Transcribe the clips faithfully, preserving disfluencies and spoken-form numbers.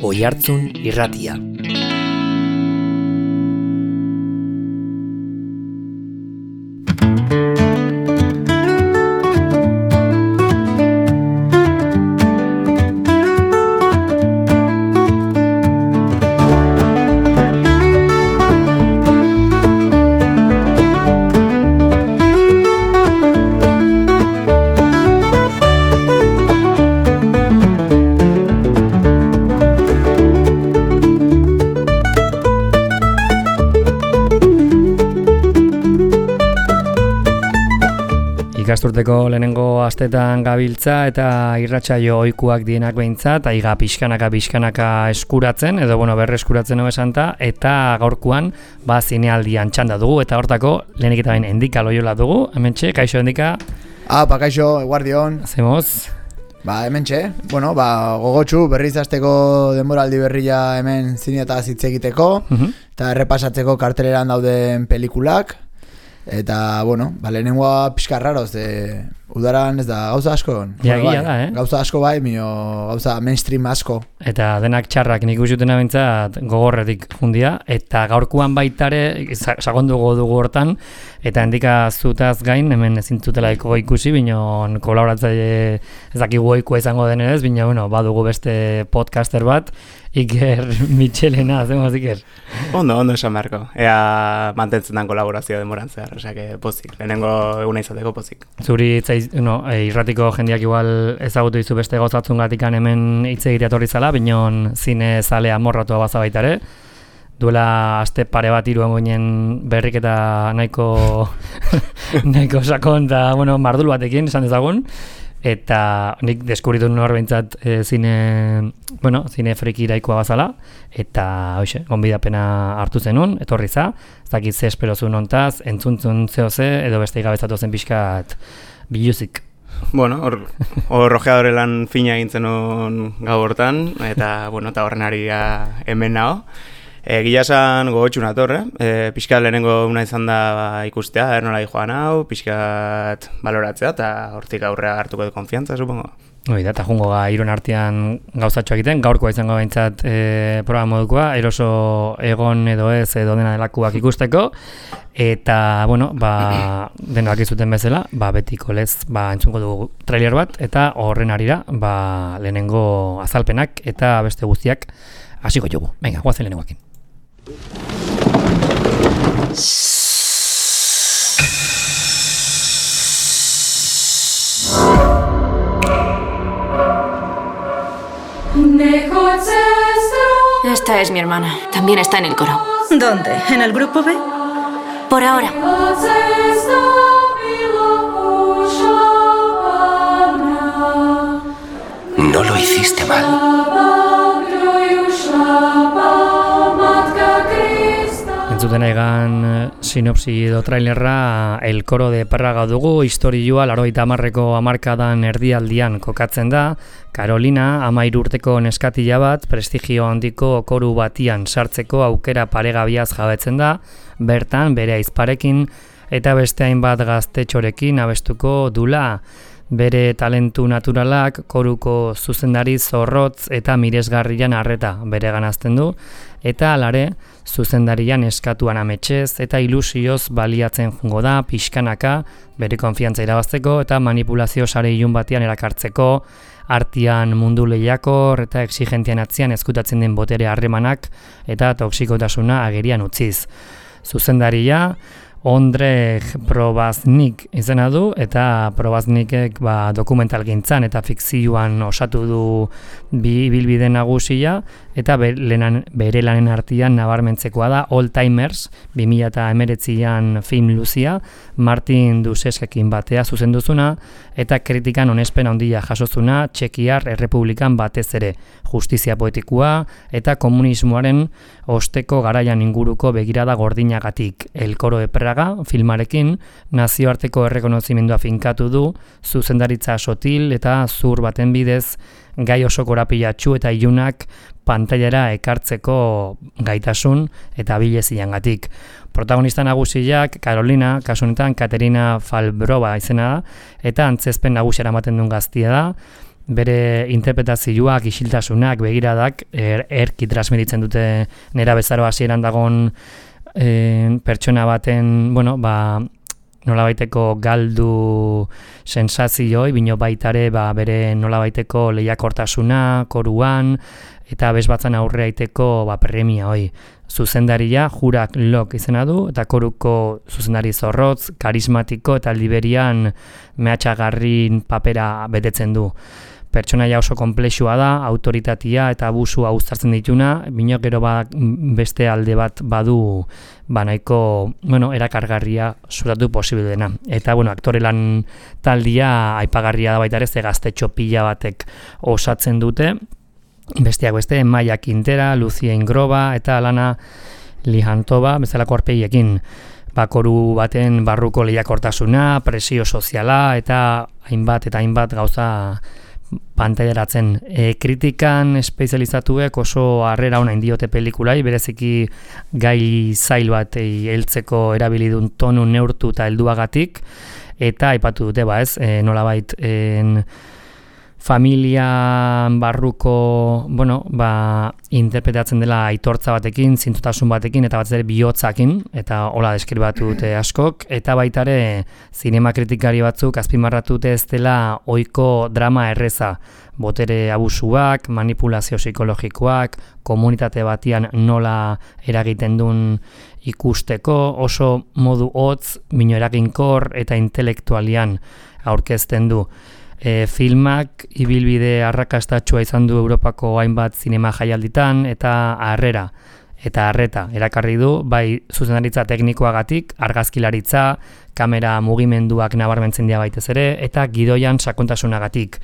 Oihartzun Irratia. Ikasturteko lehenengo astetan gabiltza eta irratsaio ohikuak dienak behintzat, aiga pixkanaka pixkanaka eskuratzen, edo bueno, berreskuratzen hau esanta, eta gaurkoan ba zinealdian txanda dugu, eta hortako lehenik eta bain Endika Loiola dugu, hementxe, kaixo Endika? Ah, pa kaixo, eguardion. Zemoz? Ba, hementxe, bueno, ba, gogotxu berriz hasteko denboraldi berria hemen zineataz hitz egiteko, uh-huh. eta errepasatzeko karteleran dauden pelikulak. Eta, bueno, ba, lehenengoa pixka raroz, e, udaran ez da gauza asko. Ja, bai, da, eh? Gauza asko bai, mino gauza mainstream asko. Eta denak txarrak nik usutena bintzat gogorretik jundia, eta gaurkuan baitare, sagondugo dugu hortan, eta Endika zutaz gain, hemen ezintzutela ikusi, binon kolaboratzaile ez dakigu ikua izango denez, bina, bueno, badugu beste podcaster bat, Iker Michelena, zemoz Iker? Ondo, ondo esan beharko. Ea mantentzen dan kolaborazio demoran zehar, osea, pozik. Lehenengo eguna izateko pozik. Zuri itzaiz, no, e, irratiko jendeak igual ezagutu dizu beste gozatzungatikan hemen hitz egitea etorri zala, binon zine zalea morratua baza baitare. Duela aste pare bat hiru ginen berrik eta nahiko nahiko sakon eta bueno, mardul batekin esan dezagun. Eta nik deskubritu nuen hor behintzat e, zine, bueno, zine friki iraikoa bazala, eta hoxe, gonbidapena hartu zenun, etorri za, ez dakit ze espero zuen hontaz, entzuntzun zeo ze, edo beste igabetzatu zen pixkat biluzik. Bueno, hor, hor rojeadore lan fina egin zenun gau hortan, eta, bueno, eta horren ari hemen nago. E, Gila esan gogotxun atorre, e, pixkat lehenengo una izan da ba, ikustea, ernola joan hau, pixkat baloratzea, eta hortik aurrea hartuko du konfiantza, supongo. Hoi da, eta jungo ga iron artean gauzatxo egiten, gaurkoa izango behintzat e, programa modukoa, eroso egon edo ez edo dena delakuak ikusteko, eta, bueno, ba, denak izuten bezala, ba, betiko lez, ba, entzungo dugu trailer bat, eta horren arira, ba, lehenengo azalpenak eta beste guztiak hasiko jugu. Venga, guazen lehenengoakin. Esta es mi hermana. También está en el coro. ¿Dónde? ¿En el grupo B? Por ahora. No lo hiciste mal. Entzuten egan sinopsi edo trailerra El Coro de Praga dugu, historioa laurogeita hamarreko hamarkadan erdialdian kokatzen da. Carolina, hamairu urteko neskatila bat, prestigio handiko koru batian sartzeko aukera paregabiaz jabetzen da, bertan bere aizparekin eta beste hainbat gaztetxorekin abestuko dula. Bere talentu naturalak koruko zuzendari zorrotz eta miresgarrian arreta bere ganazten du, eta alare zuzendarian eskatuan ametsez eta ilusioz baliatzen jungo da pixkanaka bere konfiantza irabazteko eta manipulazio sare ilun batean erakartzeko, artean mundu lehiakor eta exigentian atzian ezkutatzen den botere harremanak eta toksikotasuna agerian utziz. Zuzendaria Ondrej Probaznik izena du, eta Probaznikek ba, dokumentalgintzan eta fikzioan osatu du bi ibilbide nagusia, eta bere, bere lanen artean nabarmentzekoa da All Timers, bi mila hemeretzian film luzia, Martin Duseskekin batea zuzenduzuna, eta kritikan onespen handia jasozuna Txekiar Errepublikan batez ere, justizia poetikoa eta komunismoaren osteko garaian inguruko begirada gordinagatik. El Coro de Praga filmarekin nazioarteko errekonozimendua finkatu du, zuzendaritza sotil eta zur baten bidez gai oso korapilatsu eta ilunak pantailara ekartzeko gaitasun eta bileziangatik. Protagonista nagusiak Carolina, kasu honetan Katerina Falbrova izena da, eta antzezpen nagusiara ematen duen gaztia da, bere interpretazioak, isiltasunak, begiradak, er, erki transmititzen dute nera bezaro hasieran dagon e, pertsona baten, bueno, ba, nolabaiteko galdu sensazioi, bino baitare ba, bere nolabaiteko lehiakortasuna, koruan, eta bezbatzan aurre aiteko ba, premia hoi. Zuzendaria Jurak Lok izena du, eta koruko zuzendari zorrotz, karismatiko eta liberian mehatxagarrin papera betetzen du. Pertsonaia oso konplexua da, autoritatea eta abusua uztartzen dituna, bino gero ba, beste alde bat badu ba nahiko, bueno, erakargarria zuratu posible dena. Eta, bueno, aktore lan taldia aipagarria da baita ere, ze gaztetxo pila batek osatzen dute, besteak beste, Maia Quintera, Lucia Ingroba eta Alana Lijantova, bezalako arpegiekin. Bakoru baten barruko lehiakortasuna, presio soziala eta hainbat eta hainbat gauza pantailaratzen. E, kritikan espezializatuek oso harrera ona indiote pelikulai, bereziki gai zail bat heltzeko erabilidun tonu neurtu eta helduagatik, eta aipatu dute ba ez, e, nolabait en, familia barruko, bueno, ba, interpretatzen dela aitortza batekin, zintutasun batekin, eta batez ere bihotzakin, eta hola deskribatu dute askok, eta baitare zinema kritikari batzuk azpimarratu dute ez dela ohiko drama erreza, botere abusuak, manipulazio psikologikoak, komunitate batian nola eragiten duen ikusteko, oso modu hotz, mino eraginkor eta intelektualian aurkezten du. E, filmak ibilbide arrakastatxua izan du Europako hainbat zinema jaialditan eta harrera eta harreta erakarri du, bai zuzendaritza teknikoagatik, argazkilaritza, kamera mugimenduak nabarmentzen dira baitez ere, eta gidoian sakontasunagatik.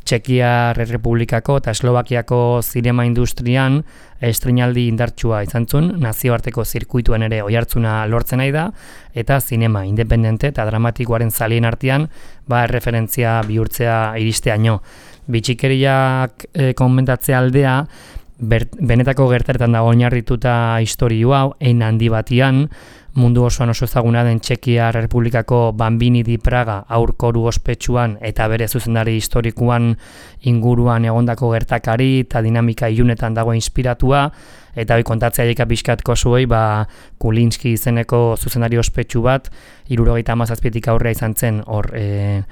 Txekiar Errepublikako eta Eslovakiako zinema industrian estreinaldi indartsua izan zuen, nazioarteko zirkuituen ere oihartzuna lortzen nahi da, eta zinema independente eta dramatikoaren zalien artean ba, erreferentzia bihurtzea iristeaino. Bitxikeriak e, komentatzea aldea, ber, benetako gertaretan dago oinarrituta historio hau, ein handi batian, mundu osoan oso ezaguna den Txekiar Errepublikako Bambini di Praga aurkoru ospetsuan eta bere zuzendari historikoan inguruan egondako gertakari eta dinamika ilunetan dago inspiratua, eta hori kontatzea jaika pixkatko zuei, ba, Kulinski izeneko zuzendari ospetsu bat, hirurogeita hamazazpitik aurrea izan zen, hor, e,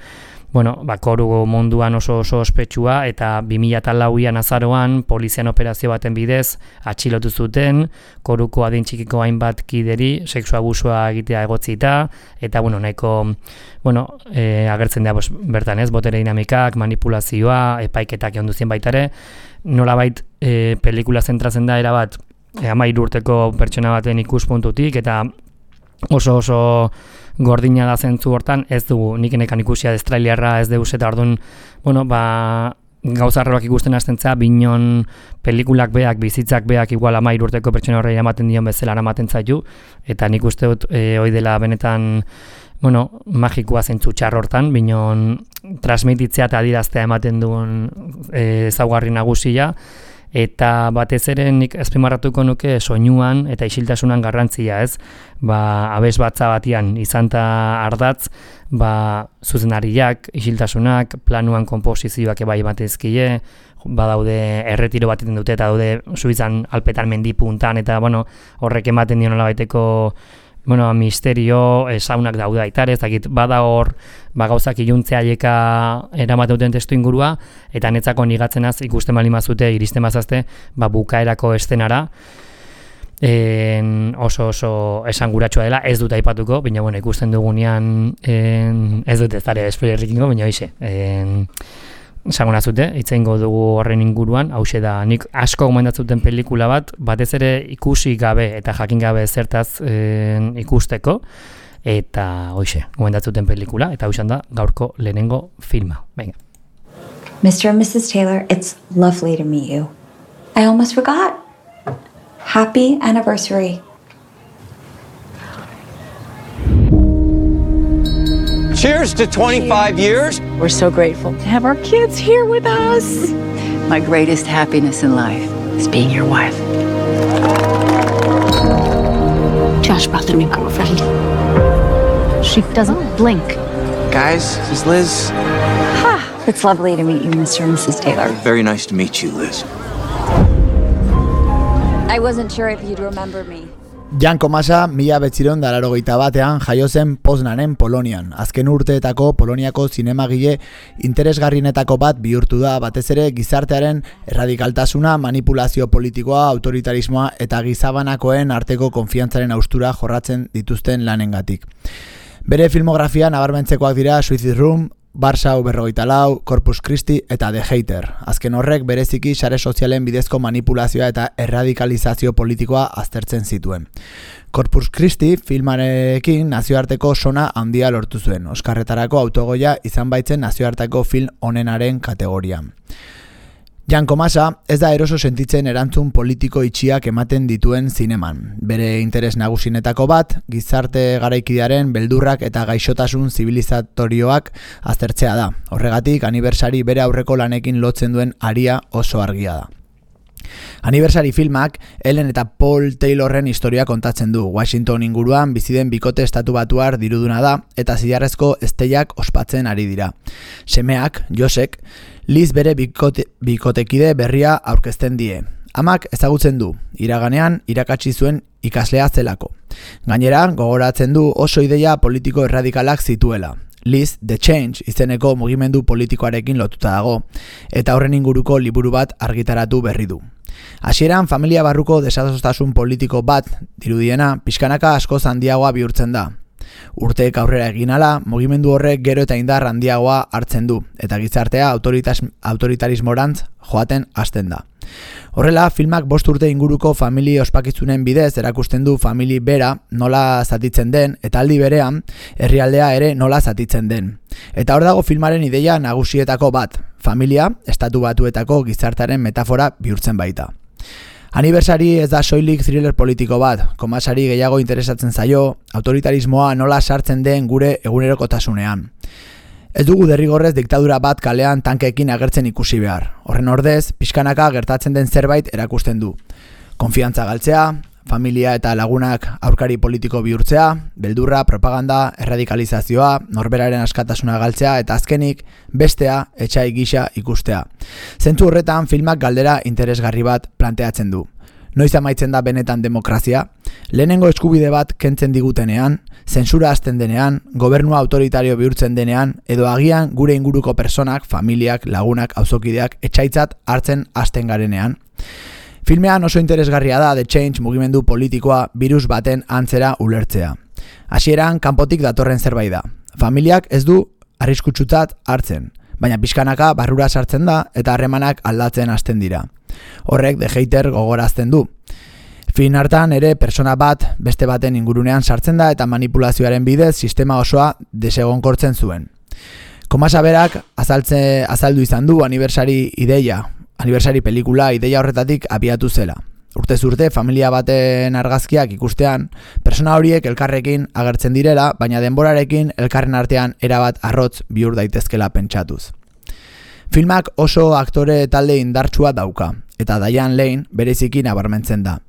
bueno, ba, koru munduan oso oso ospetsua, eta bi mila lauan azaroan polizian operazio baten bidez atxilotu zuten, koruko adin txikiko hainbat kideri, sexu abusua egitea egotzita, eta bueno, nahiko, bueno, e, agertzen da bertan ez, botere dinamikak, manipulazioa, epaiketak egon duzien baitare, nolabait e, pelikula zentratzen da erabat, e, hamairu urteko pertsona baten ikuspuntutik, eta oso oso gordina da zentzu hortan, ez dugu, nik enekan ikusia destrailerra ez deuz, eta orduan, bueno, ba, gauzarroak ikusten hastentzea, binon pelikulak beak, bizitzak beak, igual hamairu urteko pertsona horreia ematen dion bezala ematen zaitu, eta nik uste dut, e, hoi dela benetan, bueno, magikoa zentzu txar hortan, binon transmititzea eta adiraztea ematen duen e, ezaugarri nagusia, eta batez ere nik azpimarratuko nuke soinuan eta isiltasunan garrantzia, ez? Ba, abes batza batian izanta ardatz, ba, zuzenariak, isiltasunak, planuan konposizioak ebai batezkie, badaude erretiro bat egiten dute eta daude Suizan alpetan mendi puntan, eta bueno, horrek ematen dion nolabaiteko bueno, misterio, saunak daude aitare, ez dakit, bada hor, ba, gauzak iluntzea aieka eramaten duten testu ingurua, eta netzako nigatzenaz ikusten bali mazute, iristen mazazte, ba, bukaerako estenara, en, oso oso esanguratsua dela, ez dut aipatuko, baina bueno, ikusten dugunean, en, ez dut ez dara spoilerrikingo, baina hoize, esango zute, itzeingo dugu horren inguruan, hause da, nik asko gomendatzuten pelikula bat, batez ere ikusi gabe eta jakin gabe zertaz en, ikusteko, eta hoxe, gomendatzuten pelikula, eta hausean da gaurko lehenengo filma. Venga. Mister and Missus Taylor, it's lovely to meet you. I almost forgot. Happy anniversary. Cheers to twenty-five years. We're so grateful to have our kids here with us. My greatest happiness in life is being your wife. Josh brought the new girlfriend. She doesn't blink. Guys, this is Liz. Ha! It's lovely to meet you, Mister and Missus Taylor. Very nice to meet you, Liz. I wasn't sure if you'd remember me. Jan Komasa mila betziron dalarogeita batean jaio zen Poznanen Polonian. Azken urteetako Poloniako zinemagile interesgarrienetako bat bihurtu da, batez ere gizartearen erradikaltasuna, manipulazio politikoa, autoritarismoa eta gizabanakoen arteko konfiantzaren haustura jorratzen dituzten lanengatik. Bere filmografia nabarmentzekoak dira Suicide Room, Warsaw berrogeita lau, Corpus Christi eta The Hater. Azken horrek bereziki sare sozialen bidezko manipulazioa eta erradikalizazio politikoa aztertzen zituen. Corpus Christi filmarekin nazioarteko sona handia lortu zuen. Oskarretarako autogoia izan baitzen nazioarteko film onenaren kategorian. Jan Komasa ez da eroso sentitzen erantzun politiko itxiak ematen dituen zineman. Bere interes nagusinetako bat, gizarte garaikidearen beldurrak eta gaixotasun zibilizatorioak aztertzea da. Horregatik, aniversari bere aurreko lanekin lotzen duen aria oso argia da. Aniversari filmak Ellen eta Paul Taylorren historia kontatzen du. Washington inguruan biziden bikote estatubatuar diruduna da eta zilarrezko esteiak ospatzen ari dira. Semeak, Josek, Liz bere bikote, bikotekide berria aurkezten die. Amak ezagutzen du, iraganean irakatsi zuen ikaslea zelako. Gainera, gogoratzen du oso ideia politiko erradikalak zituela. Liz, The Change izeneko mugimendu politikoarekin lotuta dago, eta horren inguruko liburu bat argitaratu berri du. Hasieran familia barruko desadostasun politiko bat dirudiena, pixkanaka askoz handiagoa bihurtzen da. Urteek aurrera egin ala, mugimendu horrek gero eta indar handiagoa hartzen du, eta gizartea autoritarismorantz joaten hasten da. Horrela, filmak bost urte inguruko famili ospakizunen bidez erakusten du famili bera nola zatitzen den, eta aldi berean, herrialdea ere nola zatitzen den. Eta hor dago filmaren ideia nagusietako bat, familia, estatu batuetako gizartaren metafora bihurtzen baita. Aniversari ez da soilik thriller politiko bat, Komasari gehiago interesatzen zaio, autoritarismoa nola sartzen den gure egunerokotasunean. Ez dugu derrigorrez diktadura bat kalean tankeekin agertzen ikusi behar. Horren ordez, pixkanaka gertatzen den zerbait erakusten du. Konfiantza galtzea, familia eta lagunak aurkari politiko bihurtzea, beldurra, propaganda, erradikalizazioa, norberaren askatasuna galtzea eta azkenik bestea etsai gisa ikustea. Zentzu horretan filmak galdera interesgarri bat planteatzen du. Noiz amaitzen da benetan demokrazia? Lehenengo eskubide bat kentzen digutenean, zentsura hasten denean, gobernua autoritario bihurtzen denean, edo agian gure inguruko personak, familiak, lagunak, auzokideak etsaitzat hartzen hasten garenean. Filmean oso interesgarria da The Change mugimendu politikoa birus baten antzera ulertzea. Hasieran kanpotik datorren zerbait da. Familiak ez du arriskutsutzat hartzen, baina pixkanaka barrura sartzen da eta harremanak aldatzen hasten dira. Horrek The Hater gogorazten du. Fin hartan ere persona bat beste baten ingurunean sartzen da eta manipulazioaren bidez sistema osoa desegonkortzen zuen. Komasa berak azaltze, azaldu izan du aniversari ideia, aniversari pelikula ideia horretatik abiatu zela. Urtez urte familia baten argazkiak ikustean, persona horiek elkarrekin agertzen direla, baina denborarekin elkarren artean erabat arrotz bihur daitezkela pentsatuz. Filmak oso aktore talde indartsua dauka, eta Diane Lane bereziki nabarmentzen da.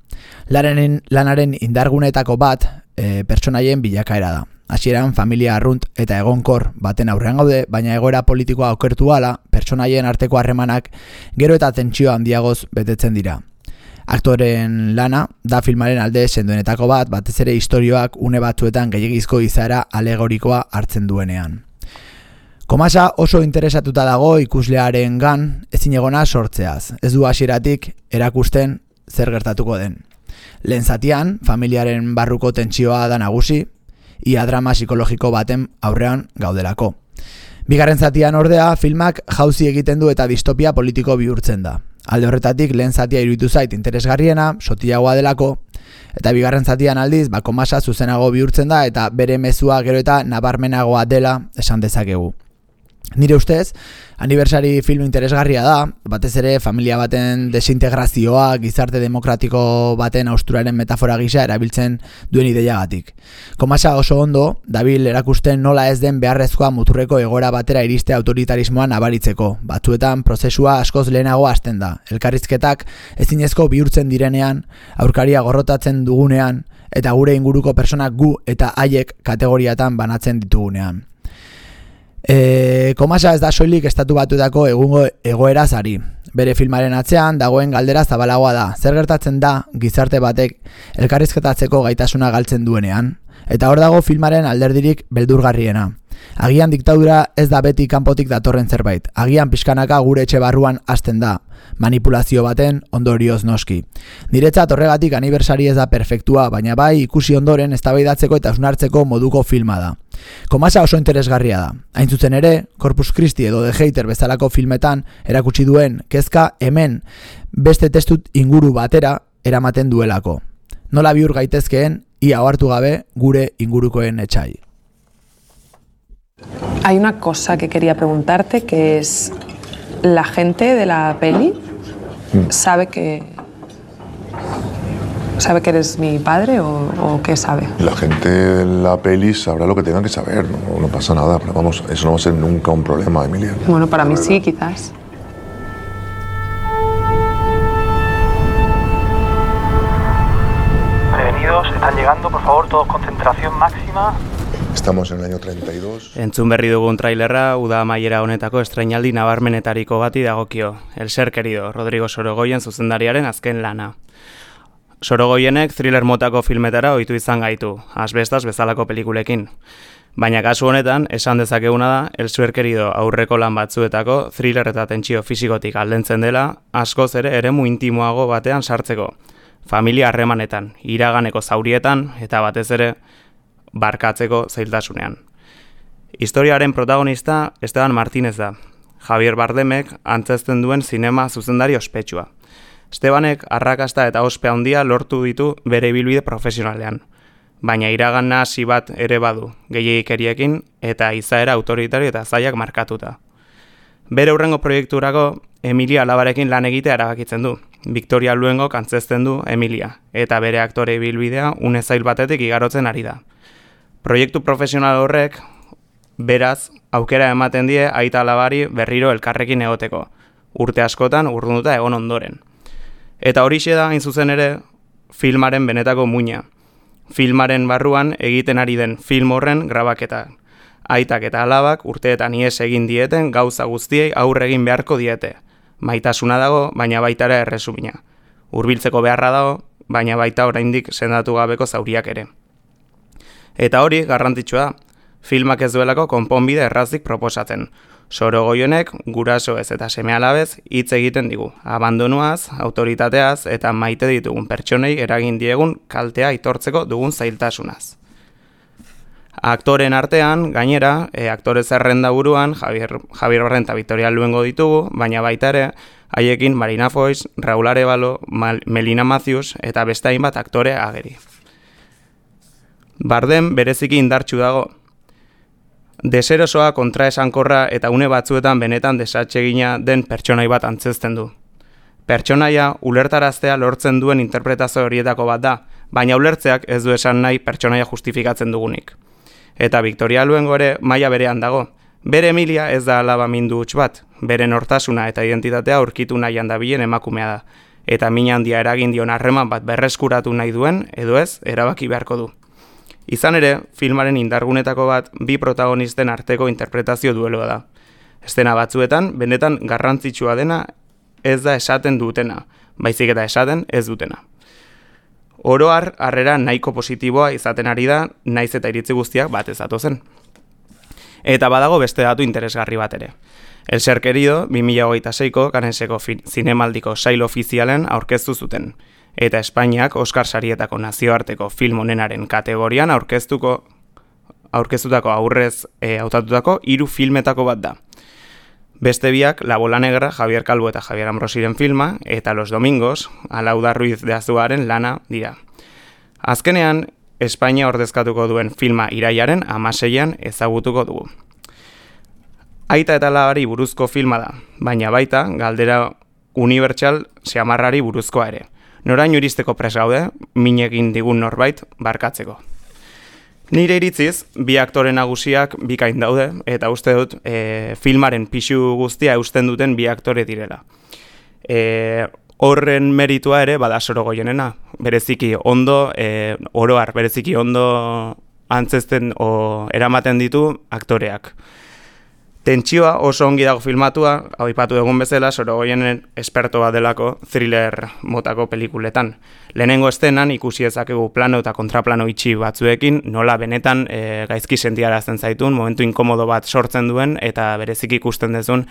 Lanaren, lanaren indargunetako bat e, pertsonaien bilakaera da. Hasieran familia arrunt eta egonkor baten aurrean gaude, baina egoera politikoa okertu ala, pertsonaien arteko harremanak gero eta tentsio handiagoz betetzen dira. Aktoren lana da filmaren alde sendoenetako bat, batez ere istorioak une batzuetan gehiegizko izaera alegorikoa hartzen duenean. Komasa oso interesatuta dago ikuslearen gan ezin egona sortzeaz. Ez du hasieratik erakusten zer gertatuko den. Lehen zatian, familiaren barruko tentsioa da nagusi, ia drama psikologiko baten aurrean gaudelako. Bigarren zatian ordea, filmak jauzi egiten du eta distopia politiko bihurtzen da. Alde horretatik lehen zatia iruditu zait interesgarriena, sotilagoa delako, eta bigarren zatian aldiz, ba, Komasa zuzenago bihurtzen da eta bere mezua gero eta nabarmenagoa dela esan dezakegu. Nire ustez, aniversari film interesgarria da, batez ere familia baten desintegrazioa, gizarte demokratiko baten austuraren metafora gisa erabiltzen duen ideiagatik. Komasa oso ondo, dabil erakusten nola ez den beharrezkoa muturreko egoera batera iriste autoritarismoa nabaritzeko. Batzuetan prozesua askoz lehenago hasten da. Elkarrizketak ezinezko bihurtzen direnean, aurkaria gorrotatzen dugunean, eta gure inguruko personak gu eta haiek kategoriatan banatzen ditugunean. E, Komasa ez da soilik estatu batuetako egungo egoeraz ari. Bere filmaren atzean dagoen galdera zabalagoa da. Zer gertatzen da gizarte batek elkarrizketatzeko gaitasuna galtzen duenean? Eta hor dago filmaren alderdirik beldurgarriena. Agian diktadura ez da beti kanpotik datorren zerbait. Agian pixkanaka gure etxe barruan hasten da. Manipulazio baten ondorioz noski. Niretzat horregatik aniversari ez da perfektua, baina bai ikusi ondoren eztabaidatzeko eta hausnartzeko moduko filma da. Komasa oso interesgarria da. Hain zuzen ere, Corpus Christi edo The Hater bezalako filmetan erakutsi duen kezka hemen beste testu inguru batera eramaten duelako. Nola bihur gaitezkeen ia ohartu gabe gure ingurukoen etsai. Hay una cosa que quería preguntarte, que es, ¿la gente de la peli sabe que sabe que eres mi padre o, o qué sabe? La gente de la peli sabrá lo que tengan que saber, no, no pasa nada, pero vamos, eso no va a ser nunca un problema, Emilia. Bueno, para mí sí, quizás. Prevenidos, están llegando, por favor, todos concentración máxima. Estamos en el año treinta y dos. Entzun berri dugun trailerra, uda amaiera honetako estrainaldi nabarmenetariko bati dagokio. El ser querido, Rodrigo Sorogoyen zuzendariaren azken lana. Sorogoyenek thriller motako filmetara ohitu izan gaitu, Asbestas bezalako pelikulekin. Baina kasu honetan, esan dezakeguna da, El ser querido aurreko lan batzuetako thriller eta tentsio fisikotik aldentzen dela, askoz ere eremu intimoago batean sartzeko. Familia harremanetan, iraganeko zaurietan eta batez ere barkatzeko zailtasunean. Historiaren protagonista Esteban Martínez da. Javier Bardemek antzezten duen zinema zuzendari ospetsua. Estebanek arrakasta eta ospe handia lortu ditu bere ibilbide profesionalean. Baina iragan nahasi bat ere badu, gehiegikeriekin eta izaera autoritario eta zailak markatuta. Bere hurrengo proiekturako Emilia alabarekin lan egitea erabakitzen du. Victoria Luengok antzezten du Emilia, eta bere aktore ibilbidea une zail batetik igarotzen ari da. Proiektu profesional horrek, beraz, aukera ematen die aita alabari berriro elkarrekin egoteko, urte askotan urrunduta egon ondoren. Eta horixe da, hain zuzen ere, filmaren benetako muina. Filmaren barruan egiten ari den film horren grabaketa. Aitak eta alabak urteetan ihes egin dieten gauza guztiei aurre egin beharko diete. Maitasuna dago, baina baita ere erresumina. Hurbiltzeko beharra dago, baina baita oraindik sendatu gabeko zauriak ere. Eta hori garrantzitsua da, filmak ez duelako konponbide errazik proposatzen. Sorogoyenek gurasoez eta seme-alabez hitz egiten digu, abandonuaz, autoritateaz eta maite ditugun pertsonei eragin diegun kaltea aitortzeko dugun zailtasunaz. Aktoren artean, gainera, e, aktore zerrenda buruan Javier, Javier Barren eta Victoria Luengo ditugu, baina baita ere, haiekin Marina Foix, Raúl Arévalo, Melina Matthews eta beste hainbat aktore ageri. Bardem bereziki indartsu dago. Deserosoa, kontraesankorra eta une batzuetan benetan desatsegina den pertsonai bat antzezten du. Pertsonaia ulertaraztea lortzen duen interpretazio horietako bat da, baina ulertzeak ez du esan nahi pertsonaia justifikatzen dugunik. Eta Victoria Luengo ere maila berean dago. Bere Emilia ez da alaba mindu huts bat, bere nortasuna eta identitatea aurkitu nahian dabilen emakumea da, eta min handia eragin dion harreman bat berreskuratu nahi duen, edo ez, erabaki beharko du. Izan ere, filmaren indargunetako bat bi protagonisten arteko interpretazio dueloa da. Eszena batzuetan, benetan garrantzitsua dena ez da esaten dutena, baizik eta esaten ez dutena. Oro har, harrera nahiko positiboa izaten ari da, naiz eta iritzi guztiak bat ez datozen. Eta badago beste datu interesgarri bat ere. El ser querido, bi mila hogeita seiko Canneseko zinemaldiko sail ofizialen aurkeztu zuten, eta Espainiak Oscar sarietako nazioarteko film onenaren kategorian aurkeztuko aurkeztutako aurrez e, hautatutako hiru filmetako bat da. Beste biak La Bola Negra, Javier Calvo eta Javier Ambrosiren filma, eta Los Domingos, Alauda Ruiz de Azuaren lana dira. Azkenean, Espainia ordezkatuko duen filma irailaren hamaseian ezagutuko dugu. Aita eta alabari buruzko filma da, baina baita galdera unibertsal xamarrari buruzkoa ere. Noraino iristeko prest gaude, minekin digun norbait barkatzeko. Nire iritziz, bi aktore nagusiak bikain daude, eta uste dut e, filmaren pixu guztia eusten duten bi aktore direla. E, horren meritua ere bada Sorogoyenena, bereziki ondo, e, oroar, bereziki ondo antzezten o eramaten ditu aktoreak. Tentsioa oso ongi dago filmatua, hau ipatu egun bezala, Sorogoyenen esperto bat delako thriller motako pelikuletan. Lehenengo estenan ikusi ezakegu plano eta kontraplano itxi batzuekin, nola benetan e, gaizki sentiarazten zaitun, momentu inkomodo bat sortzen duen, eta berezik ikusten dezun,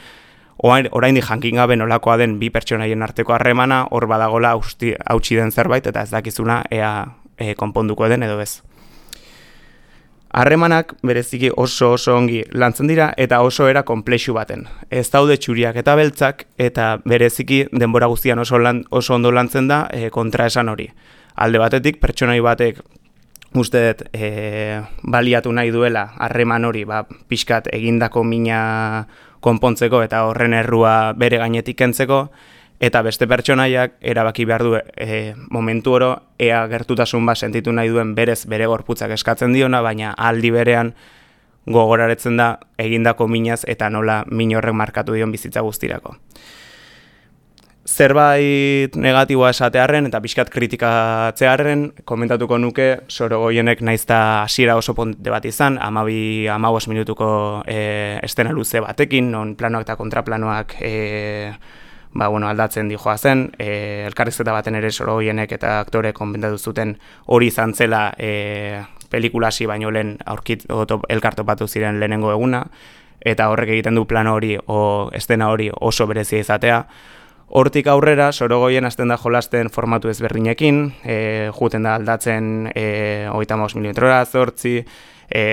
oraindik jankin gabe nolakoa den bi pertsonaien arteko harremana, hor badagola hautsi den zerbait, eta ez dakizuna ea e, konponduko den edo ez. Harremanak bereziki oso oso ongi lantzen dira eta oso era konplexu baten. Ez daude txuriak eta beltzak eta bereziki denbora guztian oso, lan, oso ondo lantzen da e, kontraesan hori. Alde batetik pertsonai batek uste dut e, baliatu nahi duela harreman hori ba, pixkat egindako mina konpontzeko eta horren errua bere gainetik kentzeko, eta beste pertsonaiak erabaki behar du e, momentu oro ea gertutasun bat sentitu nahi duen berez bere gorputzak eskatzen diona, baina aldi berean gogoraretzen da egindako minaz eta nola min horrek markatu dion bizitza guztirako. Zerbait negatiboa esatearren eta pixkat kritikatzearren komentatuko nuke Sorogoyenek naizta hasiera oso ponte bat izan, hamabi hamabost minutuko e, estena luze batekin, non planoak eta kontraplanoak e, Ba, bueno, aldatzen dijoa zen, e, elkarrizketa baten ere Sorogoyenek eta aktore konbentatu zuten hori izan zela e, pelikulasi baino lehen aurkit, elkartopatu ziren lehenengo eguna, eta horrek egiten du plano hori o estena hori oso berezia izatea. Hortik aurrera, Sorogoyen hasten da jolasten formatu ezberdinekin, e, juten da aldatzen e, hogeita hamabost milimetrora, zortzi, e,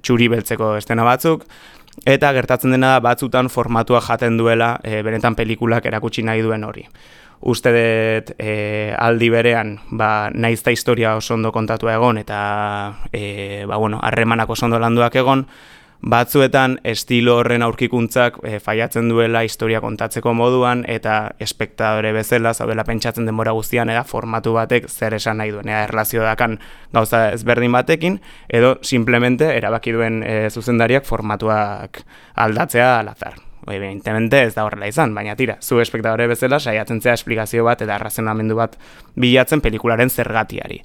txuri beltzeko estena batzuk, eta gertatzen dena da batzutan formatua jaten duela e, benetan pelikulak erakutsi nahi duen hori. Uste dut e, aldi berean ba, naizta historia oso ondo kontatua egon eta e, ba, bueno, harremanak oso ondo landuak egon, batzuetan estilo horren aurkikuntzak e, faiatzen duela historia kontatzeko moduan eta espektadore bezala zaudela pentsatzen denbora guztian eta formatu batek zer esan nahi duen, ea erlazio dakan gauza ezberdin batekin edo simplemente erabaki duen e, zuzendariak formatuak aldatzea alazar. Evidentemente ez da horrela izan, baina tira, zu espektadore bezala saiatzen zea esplikazio bat eta arrazionamendu bat bilatzen pelikularen zergatiari.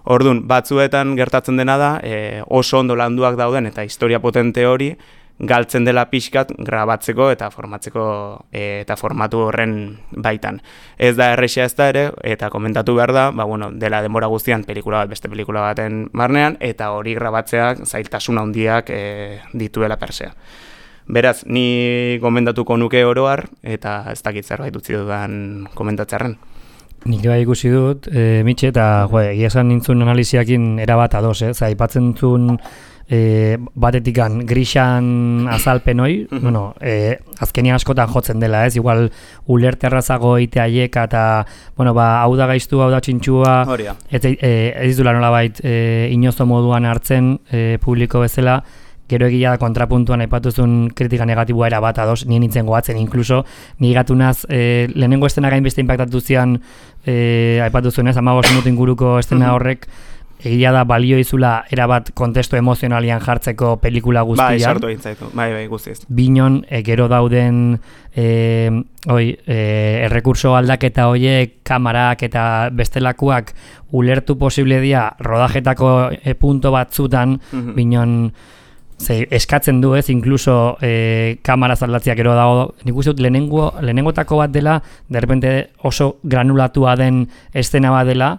Orduan, batzuetan gertatzen dena da, e, oso ondo landuak dauden eta historia potente hori galtzen dela pixkat grabatzeko eta formatzeko e, eta formatu horren baitan. Ez da errexea ez da ere, eta komentatu behar da, ba, bueno, dela denbora guztian pelikula bat beste pelikula baten barnean, eta hori grabatzeak zailtasun handiak e, dituela persea. Beraz, ni komentatuko nuke oroar, eta ez dakit zerbait utzi dudan komentatzearen. Nik bai ikusi dut, e, Mitxe, eta jo, egia esan nintzun analiziakin erabat ados, eh? Zai, aipatzen zuen e, batetikan grisan azalpen hoi, bueno, e, azkenia askotan jotzen dela, ez? Igual ulerte errazago eite aieka eta, bueno, ba, hau da gaiztu, hau da txintxua, ez, e, ez dula nolabait e, inozo moduan hartzen e, publiko bezala, gero egia da kontrapuntuan aipatuzun kritika negatiboa era bat ados, nien nintzen goatzen, inkluso ni gatunaz e, lehenengo estena gain beste impactatu zian e, aipatuzunez, hamabost minutu inguruko estena horrek, egia da balio izula erabat kontestu emozionalian jartzeko pelikula guztian. Bai, sartu egin zaitu, bai, bai, guztiz. Binon, e, gero dauden e, oi, e, errekurso aldaketa hoiek, kamarak eta bestelakoak ulertu posible dia rodajetako e, punto batzutan, mm-hmm. Binon, Ze, eskatzen du ez, inkluso e, kamara zaldatziak ero dago, nik uste dut lehenengo, lehenengotako bat dela, derrepente oso granulatua den estena bat dela,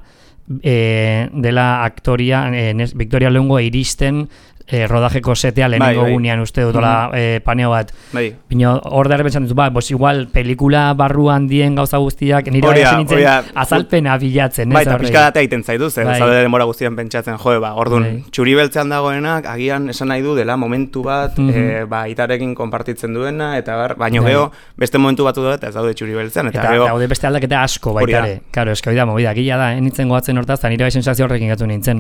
e, dela aktoria, e, Victoria Leongo iristen e, rodajeko setea lehenengo bai, bai. Gunean uste dut, mm-hmm. e, paneo bat. Bai. Bino, hor da errepentzan dut, ba, bos igual pelikula barruan dien gauza guztiak, nire hori hasi nintzen oria, azalpena bilatzen. Bai, eta pixka datea egiten zaitu, zen, bai. Zaude denbora guztian pentsatzen, joe, ba, orduan, bai. Txuri beltzean dagoenak, agian esan nahi du dela momentu bat, mm-hmm. e, ba, itarekin konpartitzen duena, eta bar, baino bai. Geho, beste momentu batu da, eta ez daude txuri beltzean, eta, eta geho... daude beste aldaketa asko baitare, karo, eska oida, movida, gila da, enitzen goatzen hortaz, eta nire bai sensazio horrekin gatu nintzen,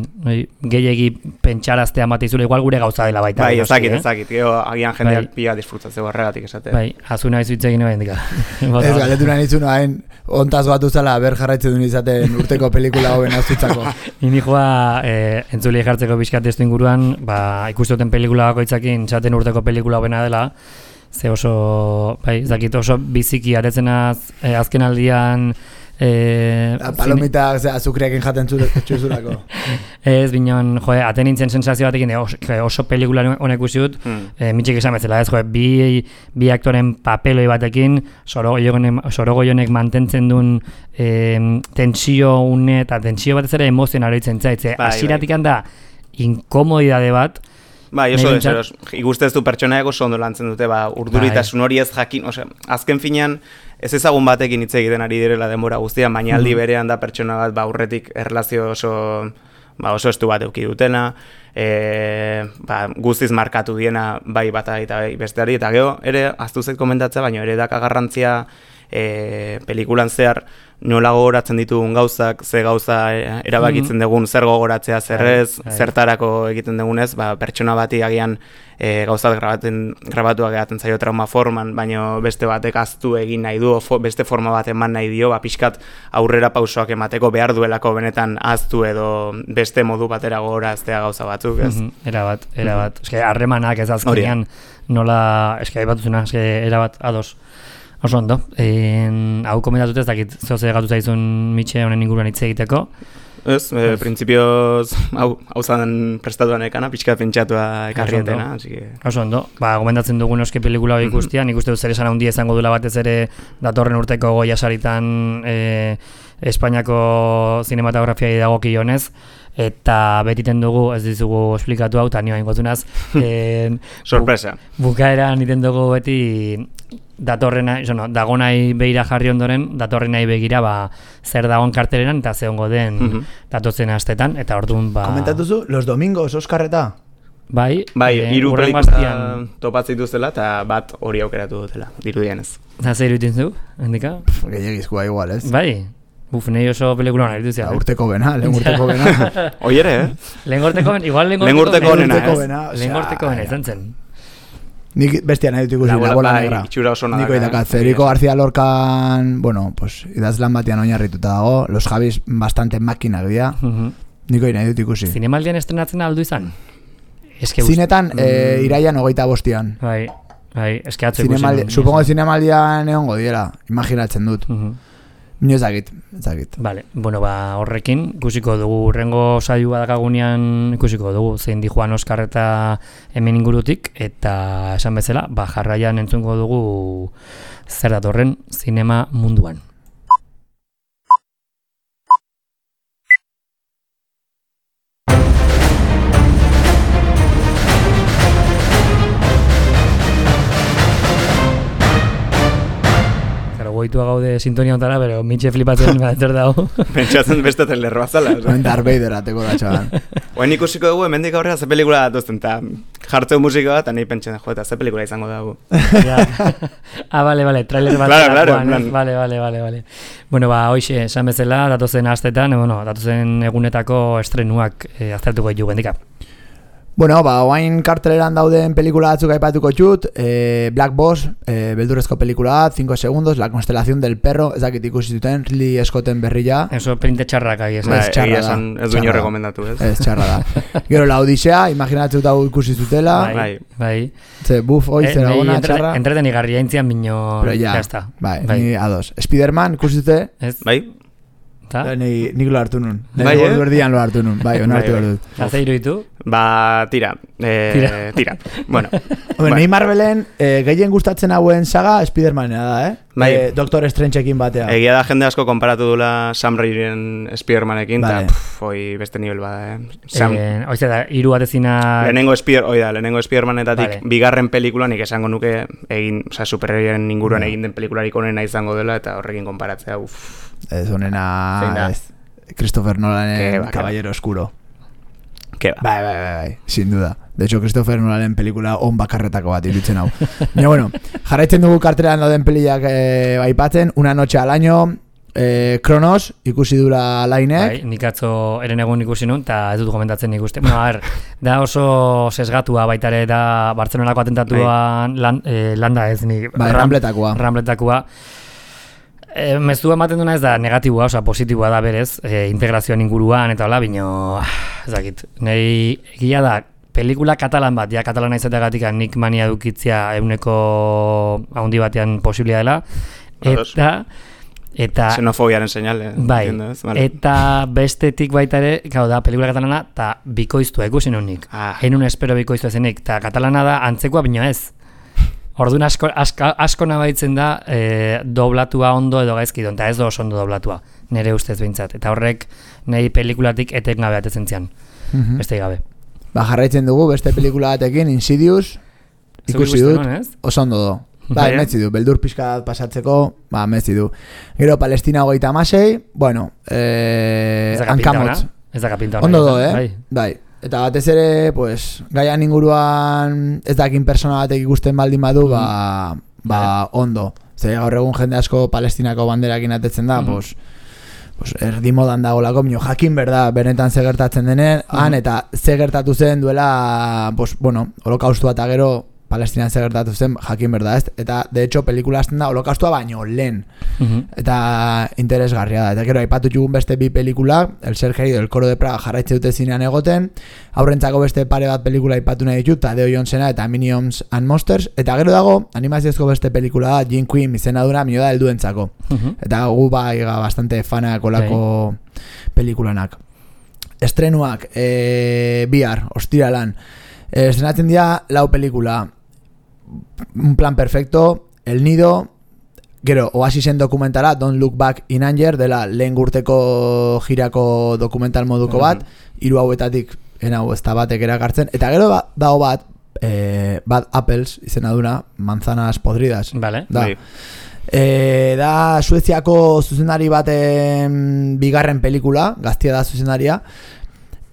gehiegi pentsaraztea matizule, igual gure gauza dela baita. Bai, ezakit, ezakit, geho, agian jendeak bai. Pia disfrutatzeko horregatik esate. Bai, azuna izu itzegin eba indika. Ez galetu nahi nitzun, hain, ontaz batu zala, ber jarraitzen duen izaten urteko pelikula hoben azutzako. Ini joa, eh, entzuli jartzeko bizkat testu inguruan, ba, ikustoten pelikula bakoitzakin, txaten urteko pelikula hobena dela, ze oso, bai, zakit oso biziki aretzen az, eh, azken aldian, E, palomita azukriakin jaten txuzulako. Ez, bineon, joe, aten nintzen sensazio batekin, oso, oso pelikula honek usiut, hmm. e, mitxik esan bezala, ez, joe, bi, bi aktoren papeloi batekin, Sorogoionek mantentzen duen e, tentsio une, eta tentsio batez ere emozionaro itzen zaitze, bai, asiratik bai. Handa, inkomodidade bat, bai, oso deseros, ikustez du pertsonaia oso ondo lantzen dute, ba, urduritasun hori ez jakin, ose, azken finean, ez ezagun batekin hitz egiten ari direla denbora guztian, baina aldi berean da pertsona bat, ba, aurretik erlazio oso, ba, oso estu bat euki dutena, e, ba, guztiz markatu diena bai bata eta bai besteari, eta gero, ere, aztu zait komentatzea, baina ere daka garrantzia e, pelikulan zehar, nola gogoratzen ditugun gauzak, ze gauza erabakitzen dugun, zer gogoratzea, zerrez, zertarako egiten dugunez, ba, pertsona bati agian e, gauzat grabaten, grabatuak egaten zaio trauma forman, baina beste batek aztu egin nahi du, fo, beste forma bat eman nahi dio, ba, pixkat aurrera pausoak emateko behar duelako benetan aztu edo beste modu batera gogoraztea gauza batzuk, ez? Mm-hmm. Era bat, era bat. Mm-hmm. Eske, harremanak ez azkenean nola, eske, aibatuzuna, eske, era bat, ados. Oso ondo, en, hau komentatut ez dakit zoze gatu zaizun Mitxe honen inguruan hitz egiteko. Ez, e, printzipioz hau, hau zaten prestatuan ekana, pixka pentsatua ekarrietena. Oso ondo, ba, gomendatzen dugun euske pelikula hori ikustian, nik uste dut zer esan handi izango dula batez ere datorren urteko Goya Saritan e, Espainiako zinematografia dagokionez, eta betiten dugu, ez dizugu esplikatu hau, eta nioa ingotunaz. Sorpresa. Bu, bukaeran iten dugu beti datorrena, no, dagonai begira jarri ondoren, datorrenai begira ba, zer dagoen karteleran eta ze ongo den mm-hmm. datotzen astetan, eta orduan ba... Komentatuzu, los domingos, Oskarreta? Bai, bai e, hiru pelikula topatzen dituzela eta bat hori aukeratu dutela, dirudienez. Eta zer iruditzen zu, hendika? Gehiagizkoa igual, ez? Bai, buf, nahi oso pelikula hona dituzia. Eh? Urteko bena, lehen urteko bena. Oiere, eh? Lehen urteko bena, igual lehen urteko bena, ez? Lehen urteko bena, izan zen. Nik bestia nahi dut ikusi, la bola negra. Niko idakat, Federico García Lorcan, bueno, pues, idazlan batian oinarrituta dago, los Javis bastante makinak dira, uh-huh. Niko nahi dut ikusi. Zinemaldian estrenatzen aldu izan? Zinetan, mm. e, iraian hogeita bostian. Bai, bai, eske atzo ikusi. Supongo zinemaldian egongo diela, imaginatzen dut. Uh-huh. Nio ezagit, ezagit. Vale, bueno, ba, horrekin ikusiko dugu, urrengo saioa dakagunean ikusiko dugu, zein di Juan Oskar eta hemen ingurutik, eta esan bezala, ba, jarraian entzungo dugu zer datorren zinema munduan. Goitua gaude sintonia ontara, pero Mitxe flipatzen zer dago. Pentsatzen beste telerroa zala. Darth Vader ateko da, txaban. Oen ikusiko dugu, hemendik aurrera ze pelikula datuzten, eta jartzeu musika bat, eta nahi pentsen, jo, eta ze pelikula izango dago. Ah, bale, bale, trailer bat. Claro, claro, plan. Vale, vale, vale, vale. Bueno, ba, hoxe, esan bezala, datozen astetan, bueno, datozen egunetako estrenuak eh, aztertuko ditu gendika. Bueno, ba, oain karteleran dauden pelikula batzuk aipatuko txut, eh, Black Boss, eh, beldurrezko pelikula, cinco segundos, La constelación del perro, ez dakit ikusi zuten, Ridley Scotten berria. Eso printe txarrak ahi, ez ba, txarra da. Ez duño rekomendatu, ez? Ez txarra da. Gero, La Odisea, imaginatzen dut hau ikusi zutela. Bai, bai. Ze, buf, oi, eh, zera gona, txarra. Entreten igarria intzian bino, pero ya, ya bai, bai, ni ados. Spiderman, ikusi zute? Ez. Bai. Ni, nik lo hartu nun. Bai, eh? Berdian lo hartu nun. Bai, ona hartu behar dut. Haze iruditu? Ba, tira. Eh, tira. tira. Bueno. Bueno, nahi Marvelen eh, gehien gustatzen hauen saga Spidermanena da, eh? Bai. Eh, Doctor Strangeekin batea. Egia da jende asko konparatu dula Sam Rairen Spidermanekin, eta vale. Hoi beste nivel bada, eh? Sam... Eh, Oizte da, hiru batezina... Lehenengo Spider, oi da, lehenengo Spidermanetatik vale. Bigarren pelikula nik esango nuke egin, oza, superherioen inguruan no. egin den pelikularik onena izango dela, eta horrekin konparatzea, uff. Ez onena... Christopher Nolanen Caballero Oscuro. Bai, bai, bai, bai, sin duda. De hecho, Christopher Nolanen pelikula on bakarretako bat iruditzen hau. Baina, bueno, jarraitzen dugu kartelean dauden peliak eh, aipatzen, Una noche al año, eh, Kronos, ikusi dura lainek. Bai, nik atzo eren egun ikusi nun, eta ez dut komentatzen ikuste. Bueno, a ver, da oso sesgatua baitare da Bartzelonako atentatuan lan, eh, landa ez nik. Bai, ram, Rambletakoa. Rambletakoa. E, mezua ematen duna ez da negatiboa, oza, positiboa da berez, e, integrazioan inguruan eta hola, bino, ezakit, nahi egia da, pelikula katalan bat, ja katalana izateagatik nik mania dukitzia euneko haundi batean posiblia dela, eta Eta xenofobiaren seinale. Bai, vale. Eta bestetik baita ere, gau da, pelikula katalana, eta bikoiztua ikusi nunik. Ah. Henun espero bikoiztua zenik, eta katalana da antzekoa bino ez. Orduan asko, asko, asko nabaitzen da e, doblatua ondo edo gaizki don, eta ez da oso ondo doblatua, nire ustez behintzat. Eta horrek nahi pelikulatik eten gabe atetzen zian, mm-hmm. beste gabe. Ba, jarraitzen dugu beste pelikula batekin, Insidious, ikusi dut, oso ondo do. Ba, metzi du, beldur pixka pasatzeko, ba, metzi du. Gero, Palestina hogeita amasei, bueno, eh, hankamotz. Ez da kapinta hona. Ondo do, eh? Bai. bai. Eta batez ere, pues, gaian inguruan ez dakin persona batek ikusten baldin badu, ba, ba, ondo. Zer, gaur egun jende asko Palestinako banderakin atetzen da, mm-hmm. pues, pues, erdi modan dagolako, minio, jakin berda, benetan ze gertatzen denen, mm-hmm. han, eta ze gertatu zen duela, pues, bueno, holokaustua eta gero, Palestinan zer gertatu zen, jakin berda ez, eta de hecho pelikula azten da holokaustua baino lehen, uh-huh. eta interesgarria da, eta gero aipatu jugun beste bi pelikula, El ser querido, El coro de Praga jarraitze dute zinean egoten, aurrentzako beste pare bat pelikula aipatu nahi ditut, Tadeo Johnsena eta Minions and Monsters, eta gero dago animaziozko beste pelikula da, Jim Queen izena duna, mino da helduentzako, uh-huh. eta gu bai bastante fanak olako okay. pelikulanak. Estrenuak, e, bihar, ostiralan, e, estrenatzen dira lau pelikula, Un plan perfecto, El nido, gero, Oasisen dokumentala, Don't Look Back in Anger, dela lehen gurteko jirako dokumental moduko bat, hiru hauetatik, enau, ez da batek erakartzen, eta gero ba, dago bat, eh, Bad Apples, izena duna, manzanas podridas. Vale. Da. E, da Sueziako zuzendari baten bigarren pelikula, gaztia da zuzendaria,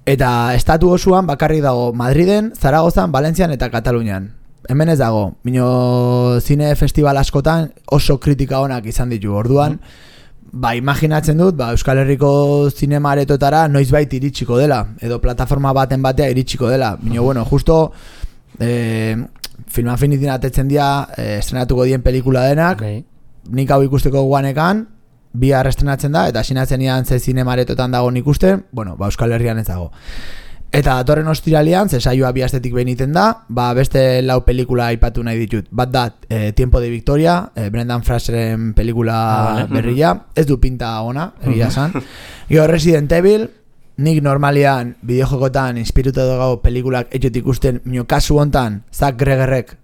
eta estatu osoan bakarrik dago Madriden, Zaragozan, Valentzian eta Katalunian. Hemen ez dago, bino zine festival askotan oso kritika onak izan ditu. Orduan, mm. ba, imaginatzen dut, ba, Euskal Herriko zinema aretotara noizbait iritsiko dela, edo plataforma baten batea iritsiko dela. Bino, bueno, justo eh, Film Affinity atetzen dira eh, estrenatuko dien pelikula denak, okay. Nik hau ikusteko guanekan, bihar estrenatzen da, eta sinatzen ian ze zinema aretotan dago ikusten, bueno, ba, Euskal Herrian ez dago. Eta datorren ostiralean, ze saioa bi astetik behin iten da, ba beste lau pelikula aipatu nahi ditut. Bat da, eh, Tiempo de Victoria, eh, Brendan Fraseren pelikula ah, vale. berria, ez du pinta ona, egia esan. Gero Resident Evil, nik normalian bideojokotan inspirutu dugu pelikulak etxot ikusten, minio kasu hontan, Zack Gregerrek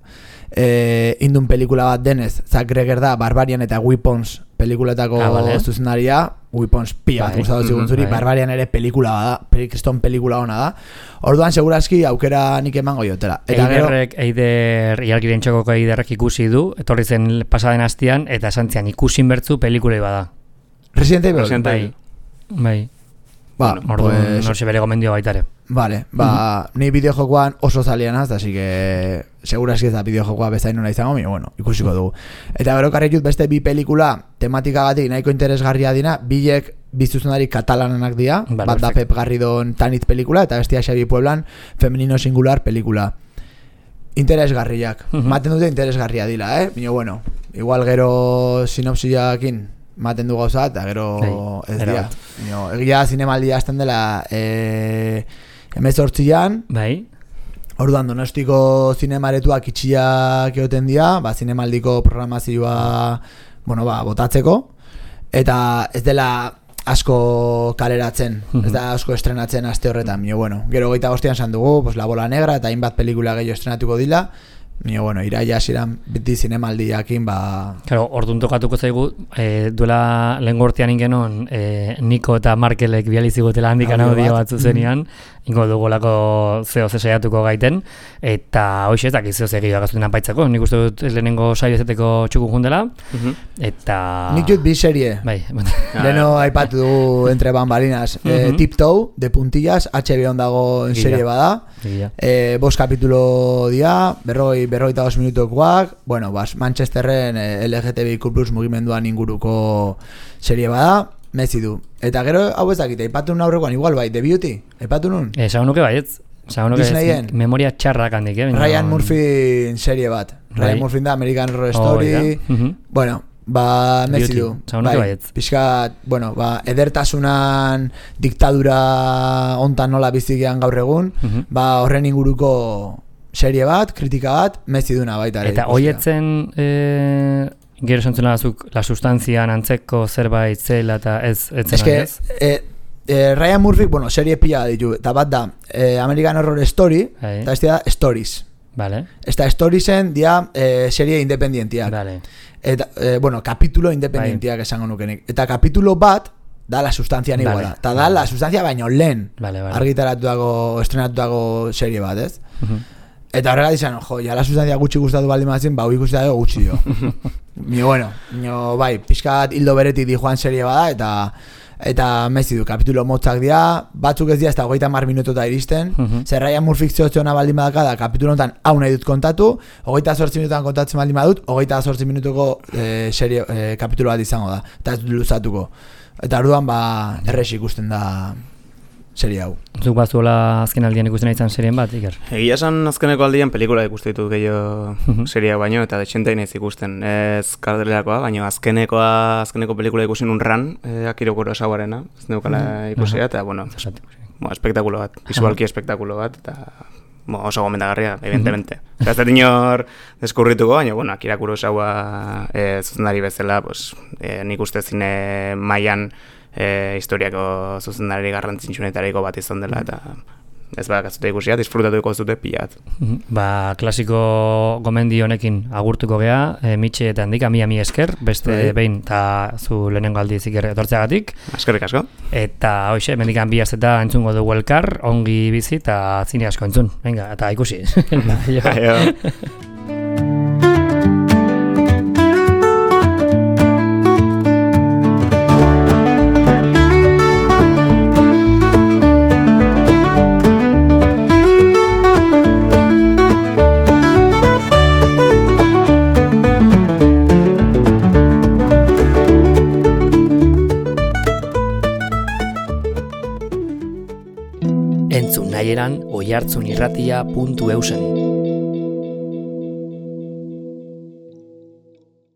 eh, indun pelikula bat denez, Zack Greger da Barbarian eta Weapons pelikuletako ah, vale. zuzendaria, Weapons pia bat gustatu zigun zuri, Barbarian ere pelikula bada, kriston pelikula ona da. Orduan segurazki aukera nik emango jotela. Eta Eiderrek, gero... Eider, ialgiren txokoko Eiderrek ikusi du, etorri zen pasaden hastian, eta santzian ikusin bertzu pelikulei bada. Resident Evil? Resident Evil. Bai. Bai. Ba, orduan, pues... norsi bere gomendio baitare. Vale, ba, uh-huh. ni bideojokoan oso zalian az, así que segurazki ez da bideojokoa bezain nona izango, mire, bueno, ikusiko dugu. Eta gero karri jut beste bi pelikula tematikagatik nahiko interesgarria dina, bilek bizuzunari katalanak dira, vale, bat da Pep Garridon Tanit pelikula, eta bestia Xabi Pueblan Femenino Singular pelikula. Interesgarriak, uh-huh. maten dute interesgarria dila, eh? Mino, bueno, igual gero sinopsiakin maten du gauza, eta gero hey, ez dira. Egia zinemaldia azten dela e, emezortzian, bai. Orduan Donostiko zinemaretuak itxiak egoten dira, ba, zinemaldiko programazioa bueno, ba, botatzeko, eta ez dela asko kaleratzen, uh-huh. ez da asko estrenatzen aste horretan. Mio, bueno, gero geita bostean esan dugu, pues, La Bola Negra eta hainbat pelikula gehiago estrenatuko dila, Mio, bueno, iraia ziren beti zinemaldiakin, ba... Claro, orduan tokatuko zaigu, e, duela lehen gortean ingenon, e, Niko eta Markelek bializigotela handikan audio batzu zenian, mm-hmm. ingo dugulako zeo zesaiatuko gaiten, eta hoxe ezak izio zegio agazuten anpaitzako, nik uste dut lehenengo saio ezeteko txukun jundela, mm-hmm. eta... Nik dut bi serie, bai. Leno aipatu du entre bambalinas, mm-hmm. e, Tiptoe, de puntillas, H B O dago en serie bada, e, bost kapitulo dia, berroi berroita dos minutukoak, bueno, bas, Manchesterren eh, L G T B I Q plus mugimenduan inguruko serie bada, mezi du. Eta gero, hau ez dakite, ipatu nun aurrekoan, igual bai, The Beauty, ipatu nun? Eh, sagun nuke baietz, sagun nuke baietz, memoria txarrak handik, eh? Ryan Murphy serie bat, Ryan right. Murphy da, American Horror Story, oh, uh-huh. bueno, ba, mezi du. Sagun nuke baietz. Pixkat, bueno, ba, edertasunan diktadura ontan nola bizigean gaur egun, uh-huh. ba, horren inguruko serie bat, kritika bat, mezi duna baita ere. Eta hoietzen e, Gero zentzuna azuk, la sustanzian antzeko zerbait zela eta ez etzen es que, ez? Eh, eh, Ryan Murphy, bueno, serie pila ditu, eta bat da, eh, American Horror Story, Hai. eta ez da Stories. Vale. Ez da Storiesen dia eh, serie independientiak. Vale. Eta, eh, bueno, kapitulo independientiak esango nukenik. Eta kapitulo bat, da la sustantzia iguala. Vale. Eta da la sustantzia baino lehen. Vale, vale. Argitaratu dago, estrenatu dago serie bat, ez? Uh-huh. Eta horrega dizan, jo, ja la sustantzia gutxi gustatu baldin mazien, ba, hui gustatu dago gutxi jo. Mi, bueno, nio, bai, pixkat hildo beretik di joan serie bada, eta eta mezi du, kapitulo motzak dira, batzuk ez dira, ez da hogeita mar minututa iristen, uh-huh. Zer Ryan Murphy zehotzeona baldin badaka da, kapitulo honetan hau nahi dut kontatu, hogeita zortzi minututan kontatzen baldin badut, hogeita zortzi minutuko eh, serie, eh, kapitulo bat izango da, eta ez dut luzatuko. Eta orduan ba erres ikusten da serie hau. Zuk bazuela azken aldian ikusten izan serien bat, Iker? Egia esan azkeneko aldian pelikula ikuste ditut gehiago seria baino, eta detxentai nahiz ikusten. Ez kardelerakoa, baina azkenekoa, azkeneko pelikula ikusten un ran, eh, Akirokuro Esaguarena, ez neukala ikusia, eta bueno, bo, espektakulo bat, visualki espektakulo bat, eta bo, oso gomendagarria, evidentemente. Eta ez dut inor deskurrituko, baina, bueno, Akira Kurosawa eh, zuzendari bezala, pues, eh, nik uste zine mailan eh, historiako zuzendari garrantzitsuenetariko bat izan dela, eta ez bada katzute ikusia, disfrutatuko zute pilat. Ba, klasiko gomendi honekin agurtuko gea, e, Mitxe eta handik, ami ami esker, beste Bai. behin, eta zu lehenengo aldiz Iker etortzeagatik. Eskerrik asko. Eta hoxe, mendikan bi azeta entzungo dugu elkar, ongi bizi eta zine asko entzun. Venga, eta ikusi. Aio. Entzun nahieran oihartzunirratia puntu eusen.